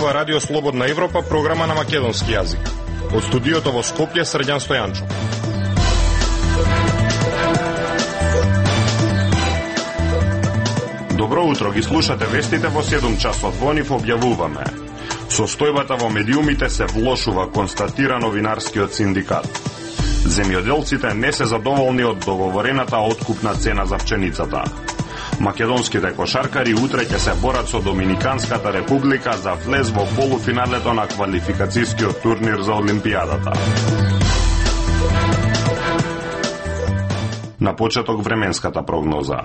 ова Радио Слободна Европа, програма на македонски јазик. Од студиото во Скопје, Срđan Стојанчов. Добро утро, ги слушате вестите во 7 часот. Во нив објавуваме: состојбата во медиумите се влошува, констатира новинарскиот синдикат. Земјоделците не се задоволни од договорената откупна цена за пченицата. Македонските кошаркари утре ќе се борат со Доминиканската република за влез во полуфиналето на квалификацијскиот турнир за Олимпијадата. На почеток временската прогноза.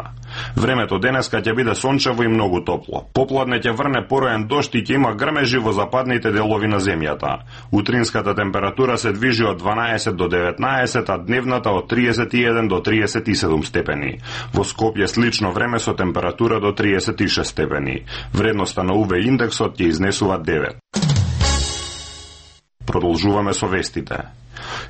Времето денеска ќе биде сончево и многу топло. Попладне ќе врне пороен дожд и ќе има грмежи во западните делови на земјата. Утринската температура се движи од 12 до 19, а дневната од 31 до 37 степени. Во Скопје слично време со температура до 36 степени. Вредноста на УВ индексот ќе изнесува 9. Продолжуваме со вестите.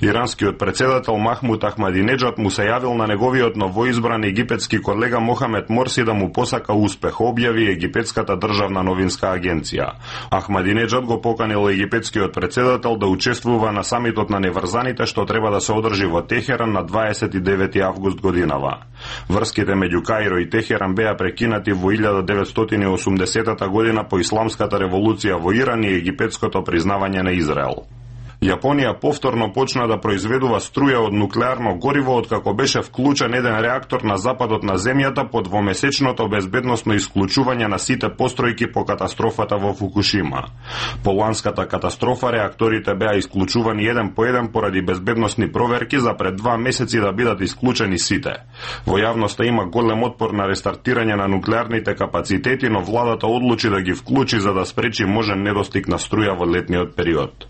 Иранскиот председател Махмуд Ахмадинеджад му се јавил на неговиот новоизбран египетски колега Мохамед Морси да му посака успех, објави египетската државна новинска агенција. Ахмадинеджад го поканил египетскиот председател да учествува на самитот на неврзаните што треба да се одржи во Техеран на 29 август годинава. Врските меѓу Каиро и Техеран беа прекинати во 1980 година по исламската револуција во Иран и египетското признавање на Израел. Јапонија повторно почна да произведува струја од нуклеарно гориво откако беше вклучен еден реактор на западот на земјата по двомесечното безбедносно исклучување на сите постројки по катастрофата во Фукушима. По ланската катастрофа реакторите беа исклучувани еден по еден поради безбедносни проверки за пред 2 месеци да бидат исклучени сите. Во јавноста има голем отпор на рестартирање на нуклеарните капацитети, но владата одлучи да ги вклучи за да спречи можен недостиг на струја во летниот период.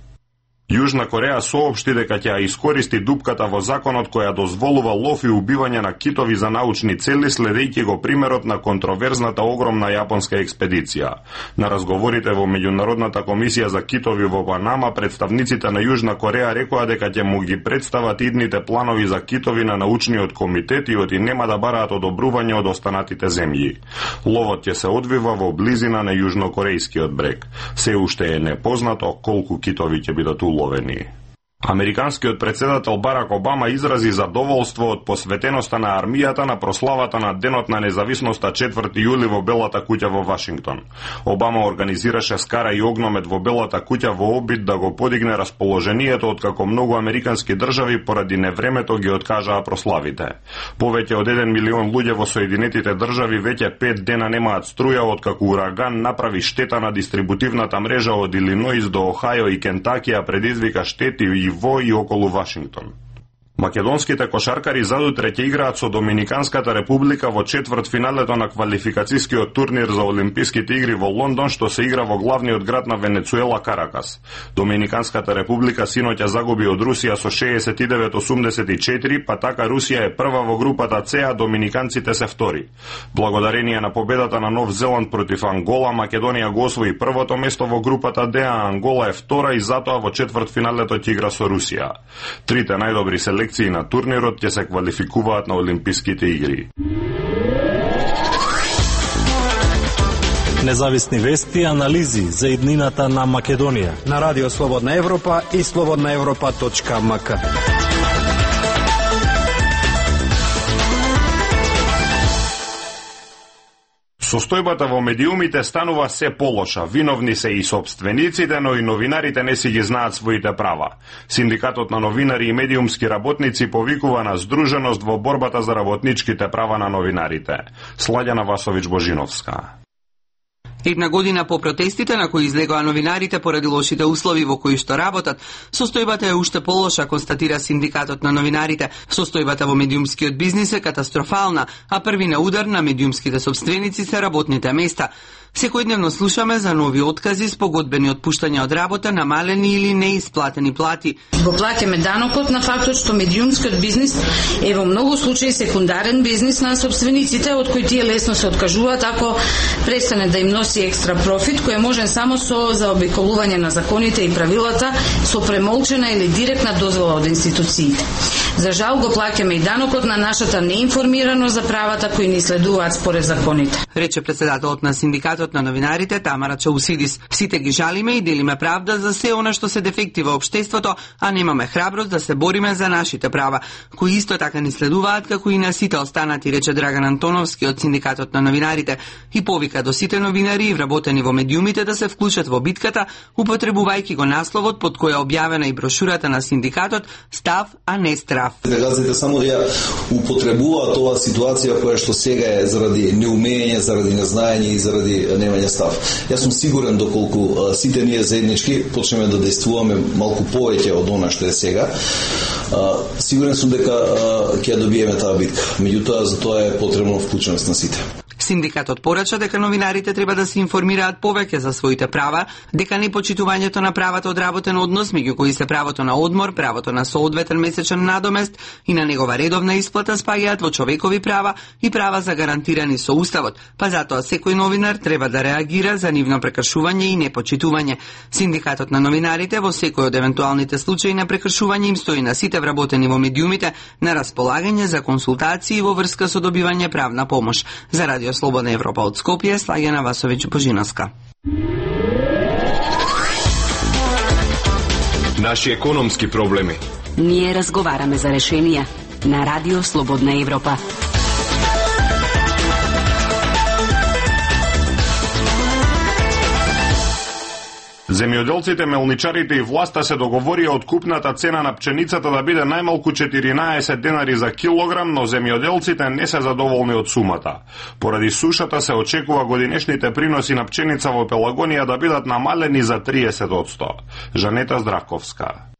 Јужна Кореја соопшти дека ќе ја искористи дупката во законот која дозволува лов и убивање на китови за научни цели, следејќи го примерот на контроверзната огромна јапонска експедиција. На разговорите во Меѓународната комисија за китови во Панама, представниците на Јужна Кореја рекоа дека ќе му ги представат идните планови за китови на научниот комитет и нема да бараат одобрување од останатите земји. Ловот ќе се одвива во близина на јужнокорејскиот брег. Се уште е непознато колку китови ќе бидат уловени. Американскиот председател Барак Обама изрази задоволство од посветеноста на армијата на прославата на Денот на независноста 4 јули во Белата куќа во Вашингтон. Обама организираше скара и огномет во Белата куќа во обид да го подигне расположението откако многу американски држави поради невремето ги откажаа прославите. Повеќе од 1 милион луѓе во Соединетите држави веќе 5 дена немаат струја откако ураган направи штета на дистрибутивната мрежа од Илиноис до Охајо и Кентаки, а предизвика штети и во и околу Вашингтон. Македонските кошаркари задутре ќе играат со Доминиканската република во четвртфиналето на квалификацијскиот турнир за Олимписките игри во Лондон, што се игра во главниот град на Венецуела, Каракас. Доминиканската република синоќа загуби од Русија со 69-84, па така Русија е прва во групата С, а доминиканците се втори. Благодарение на победата на Нов Зеланд против Ангола, Македонија го освои првото место во групата Д, а Ангола е втора и затоа во четвртфиналето ќе игра со Русија. Трите најдобри селекции на турнирот ќе се квалификуваат на Олимписките игри. Независни вести и анализи за иднината на Македонија на Радио Слободна Европа и slobodnaevropa.mk. Состојбата во медиумите станува се полоша. Виновни се и собствениците, но и новинарите не си ги знаат своите права. Синдикатот на новинари и медиумски работници повикува на здруженост во борбата за работничките права на новинарите. Сладјана Васовиќ-Божиновска. Една година по протестите на кои излегоа новинарите поради лошите услови во кои што работат, состојбата е уште полоша, констатира синдикатот на новинарите. Состојбата во медиумскиот бизнис е катастрофална, а први на удар на медиумските собственици се работните места. Секојдневно слушаме за нови откази, спогодбени отпуштања од работа, намалени или неисплатени плати. Го плаќаме данокот на фактот што медиумскиот бизнис е во многу случаи секундарен бизнис на собствениците, од кој тие лесно се откажуваат ако престане да им носи екстра профит, кој е можен само со заобиколување на законите и правилата, со премолчена или директна дозвола од институциите. За жал го плаќаме и данокот на нашата неинформираност за правата кои ни следуваат според законите. Рече председателот на синдикатот на новинарите Тамара Чаусидис. Сите ги жалиме и делиме правда за се она што се дефекти во општеството, а немаме храброст да се бориме за нашите права, кои исто така ни следуваат како и на сите останати, рече Драган Антоновски од синдикатот на новинарите и повика до сите новинари и вработени во медиумите да се вклучат во битката, употребувајќи го насловот под која е објавена и брошурата на синдикатот "Став, а не страф". Газите само да ја употребуваат оваа ситуација која што сега е заради неумење, заради незнаење и заради немање став. Јас сум сигурен доколку сите ние заеднички почнеме да действуваме малку повеќе од она што е сега, сигурен сум дека ќе добиеме таа битка. Меѓутоа за тоа е потребно вклученост на сите. Синдикатот порача дека новинарите треба да се информираат повеќе за своите права, дека непочитувањето на правата од работен однос, меѓу кои се правото на одмор, правото на соодветен месечен надомест и на негова редовна исплата спаѓаат во човекови права и права загарантирани со Уставот, па затоа секој новинар треба да реагира за нивно прекршување и непочитување. Синдикатот на новинарите во секој од евентуалните случаи на прекршување им стои на сите вработени во медиумите на располагање за консултации во врска со добивање правна помош. За Радио Слободна Европа од Скопје, Слаѓана Васовиќ Божиновска. Наши економски проблеми. Ние разговараме за решенија на Радио Слободна Европа. Земјоделците, мелничарите и власта се договорија откупната цена на пченицата да биде најмалку 14 денари за килограм, но земјоделците не се задоволни од сумата. Поради сушата се очекува годинешните приноси на пченица во Пелагонија да бидат намалени за 30%. Жанета Здраковска.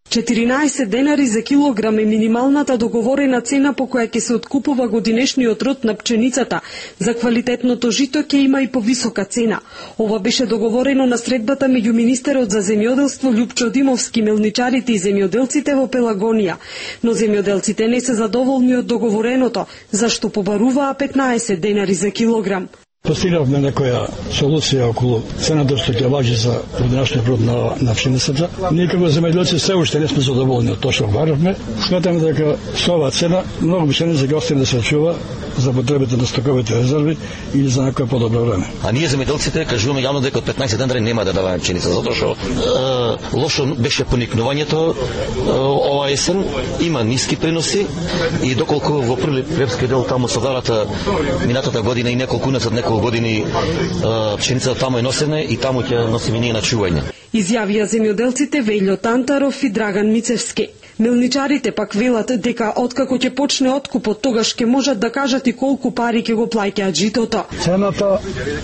14 денари за килограм е минималната договорена цена по која ќе се откупува годинешниот род на пченицата. За квалитетното жито ќе има и повисока цена. Ова беше договорено на средбата меѓу министерот за земјоделство Љупчо Димовски, мелничарите и земјоделците во Пелагонија. Но земјоделците не се задоволни од договореното, зашто побаруваа 15 денари за килограм. Постигнавме некоја солуција околу цената што ќе важи за годинашниот род на пшеницата. Ние како земјоделци се уште не сме задоволни од тоа што баравме. Сметаме дека со оваа цена многу пшеница ќе остане да се чува за потребите на стоковите резерви или за некое подобро време. А ние земјоделците кажуваме јавно дека од 15 денари нема да даваме пшеница, затоа што лошо беше поникнувањето ова есен, има ниски приноси и доколку во прилепскиот дел таму со варата минатата година и неколку уназад неколку години пшеницата таму е носена и таму ќе носиме ние на чување. Изјавија земјоделците Вејло Тантаров и Драган Мицевски. Мелничарите пак велат дека откако ќе почне откупот, тогаш ќе можат да кажат и колку пари ќе го плаќаат житото. Цената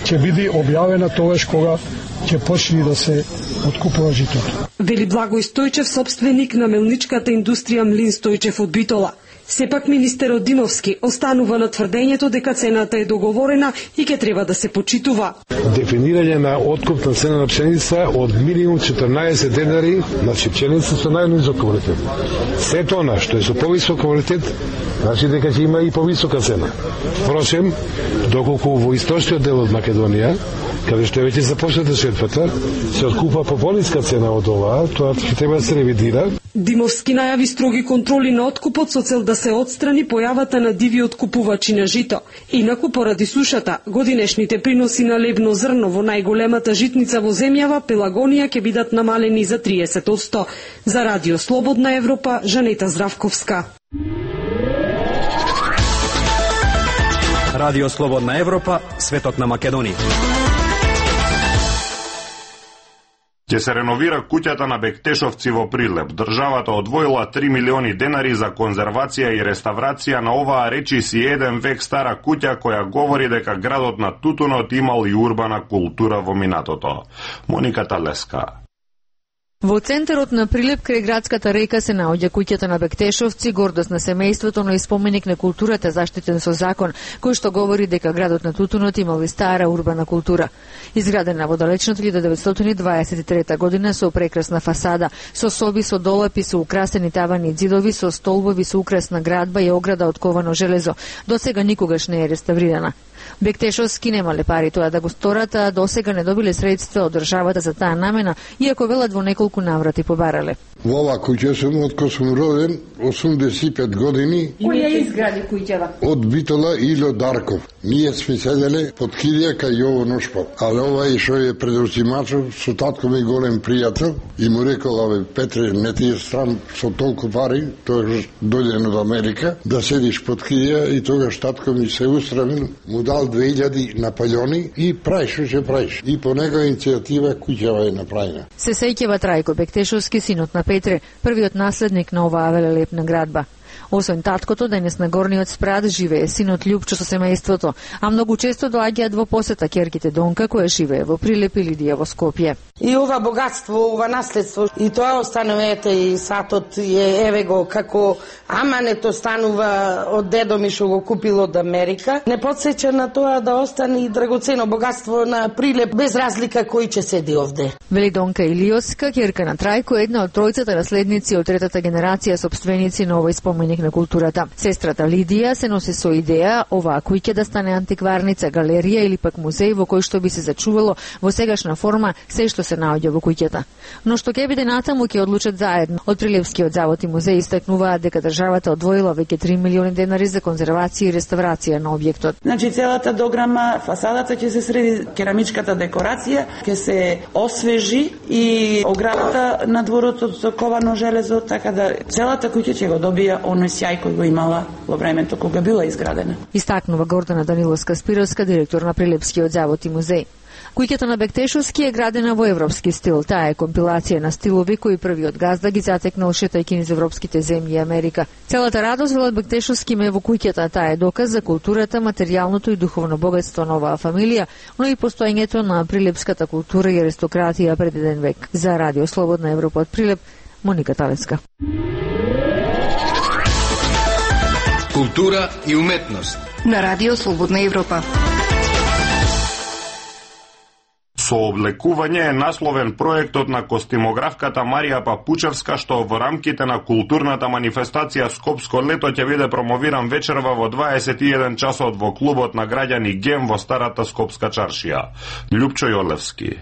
ќе биде објавена тогаш кога ќе почне да се откупува житото. Вели Благој Стојчев, собственик на мелничката индустрија Млин Стојчев од Битола. Сепак министерот Димовски останува на тврдењето дека цената е договорена и ќе треба да се почитува. Дефинирање на откупна цена на пшеница од минимум 14 денари, значи пшеница со најнизок квалитет. Сето она што е со повисок квалитет, значи дека ќе има и повисока цена. Впрочем, доколку во источниот дел од Македонија, каде што веќе започната шетвата, се откупува по пониска цена од оваа, тоа ќе треба да се ревидира. Димовски најави строги контроли на откупот со цел да се отстрани појавата на диви откупувачи на жито. Инаку, поради сушата, годинешните приноси на лебно зрно во најголемата житница во земјава, Пелагонија, ќе бидат намалени за 30%. За Радио Слободна Европа, Жанета Здравковска. Радио Слободна Европа, светот на Македонија. Ќе се реновира куќата на Бектешовци во Прилеп. Државата одвоила 3 милиони денари за конзервација и реставрација на оваа речиси 1 век стара куќа која говори дека градот на тутунот имал и урбана култура во минатото. Моника Талеска. Во центарот на Прилеп крај градската река се наоѓа куќата на Бектешовци, гордост на семејството, но и споменик на културата заштитен со закон, кој што говори дека градот на тутунот имал и стара урбана култура. Изградена во далечната 1923 година со прекрасна фасада, со соби со долапи, со украсени тавани и ѕидови, со столбови со украсна градба и ограда од ковано железо. До сега никогаш не е реставрирана. Бектешовски немале пари тоа да го сторат, а досега не добиле средства од државата за таа намена, иако велат во неколку наврати побарале. Во ова куќа сум од кога сум роден, 85 години. Кој ја изгради куќава? Од Битола Ило Дарков. Ние сме седеле под килија кај Јово Ношпал. Але ова што е предузимачов, со татко ми голем пријател, и му рекол, абе, Петре, не ти е срам со толку пари, тој дојден од Америка, да седиш под килија, и тогаш татко ми се устравил, му дал 2000 на палјони и праиш што ќе праиш. И по негова иницијатива куќава е направена. Се сеќава Трајко Бектешовски, синот на Петре, првиот наследник на оваа велелепна градба. Освен таткото, денес на горниот спрат живее синот Љупчо со семејството, а многу често доаѓаат во посета ќерките Донка, која живее во Прилеп и Лидија во Скопје. И ова богатство, ова наследство, и тоа останува, ете, и сатот е, еве го, како амането станува од дедо ми што го купил од Америка. Не подсеќа на тоа да остане и драгоцено богатство на Прилеп, без разлика кој ќе седи овде. Вели Донка Илиоска, ќерка на Трајко, една од тројцата наследници од третата генерација сопственици на овој споменик на културата. Сестрата Лидија се носи со идеја оваа куќа да стане антикварница, галерија или пак музеј во кој што би се зачувало во сегашна форма се што се наоѓа во куќата. Но што ќе биде натаму ќе одлучат заедно. Од Прилепскиот завод и музеј истакнуваат дека државата одвоила веќе 3 милиони денари за конзервација и реставрација на објектот. Значи целата дограма, фасадата ќе се среди, керамичката декорација ќе се освежи и оградата на дворот од ковано железо, така да целата куќа ќе го добија оној сјај кој го имала во времето кога била изградена. Истакнува Гордана Даниловска-Спировска, директор на Прилепскиот завод и музеј. Куќата на Бектешовски е градена во европски стил. Таа е компилација на стилови кои првиот газда ги затекнал шетајќи низ европските земји и Америка. Целата радост, велат Бектешовски, ме во куќата. Таа е доказ за културата, материјалното и духовно богатство на оваа фамилија, но и постоењето на прилепската култура и аристократија пред еден век. За Радио Слободна Европа од Прилеп, Моника Талевска. Култура и уметност на Радио Слободна Европа. Со облекување е насловен проектот на костимографката Марија Папучевска, што во рамките на културната манифестација Скопско лето ќе биде промовиран вечерва во 21 часот во клубот на граѓани ГЕМ во старата Скопска чаршија. Љупчо Јолевски.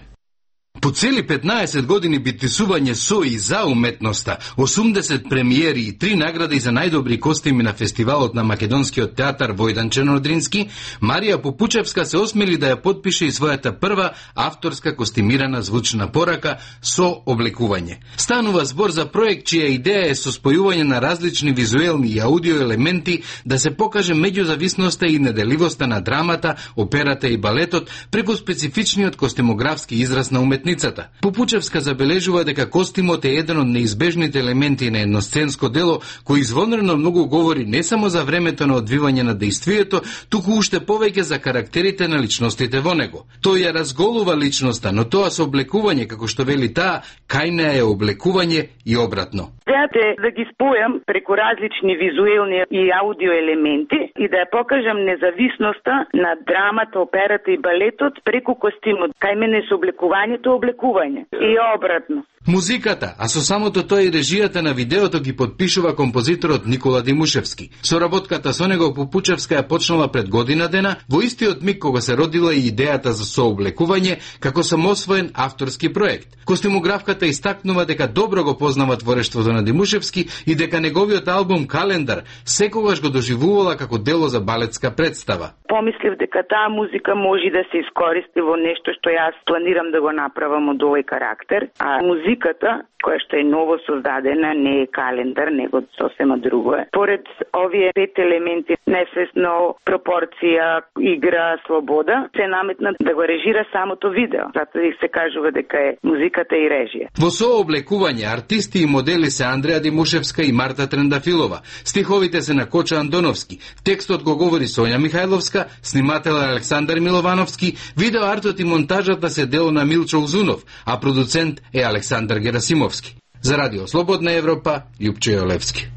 По цели 15 години битисување со и за уметноста, 80 премиери и 3 награди за најдобри костими на фестивалот на Македонскиот театар Војдан Чернодрински, Марија Попучевска се осмели да ја подпише и својата прва авторска костимирана звучна порака со облекување. Станува збор за проект чија идеја е со спојување на различни визуелни и аудио елементи да се покаже меѓузависноста и неделивоста на драмата, операта и балетот преку специфичниот костимографски израз на уметницата. Попучевска забележува дека костимот е еден од неизбежните елементи на едносценско дело кој извонредно многу говори не само за времето на одвивање на дејствието, туку уште повеќе за карактерите на личностите во него. Тој ја разголува личноста, но тоа со облекување, како што вели таа, кај неа е облекување и обратно. Идејата е да ги спојам преку различни визуелни и аудио елементи и да ја покажам независноста на драмата, операта и балетот преку костимот. Кај мене со облекувањето облекување и обратно. Музиката, а со самото тоа и режијата на видеото ги подпишува композиторот Никола Димушевски. Соработката со него Попучевска ја почнала пред година дена, во истиот миг кога се родила и идејата за сооблекување како самосвоен авторски проект. Костимографката истакнува дека добро го познава творештвото на Димушевски и дека неговиот албум Календар секогаш го доживувала како дело за балетска представа. Помислив дека таа музика може да се искористи во нешто што јас планирам да го направам од овој карактер, а музиката, која што е ново создадена, не е календар, него сосема друго е. Поред овие 5 елементи, несвесно, пропорција, игра, слобода, се наметна да го режира самото видео. Затоа и се кажува дека е музиката и режија. Во сооблекување артисти и модели се Андреа Димушевска и Марта Трендафилова. Стиховите се на Коча Андоновски. Текстот го говори Сонја Михајловска, снимател Александар Миловановски, видеоартот и монтажата се дело на Милчо Узунов, а продуцент е Александар Герасимовски. За Радио Слободна Европа, Љупчо Јолевски.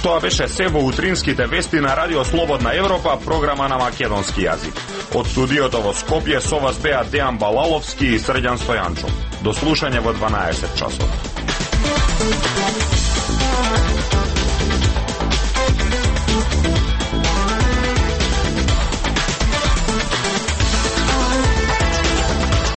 Тоа беше се во утринските вести на Радио Слободна Европа, програма на македонски јазик. Од студиото во Скопје со вас беа Дејан Балаловски и Срđan Стојанчов. До слушање во 12 часот.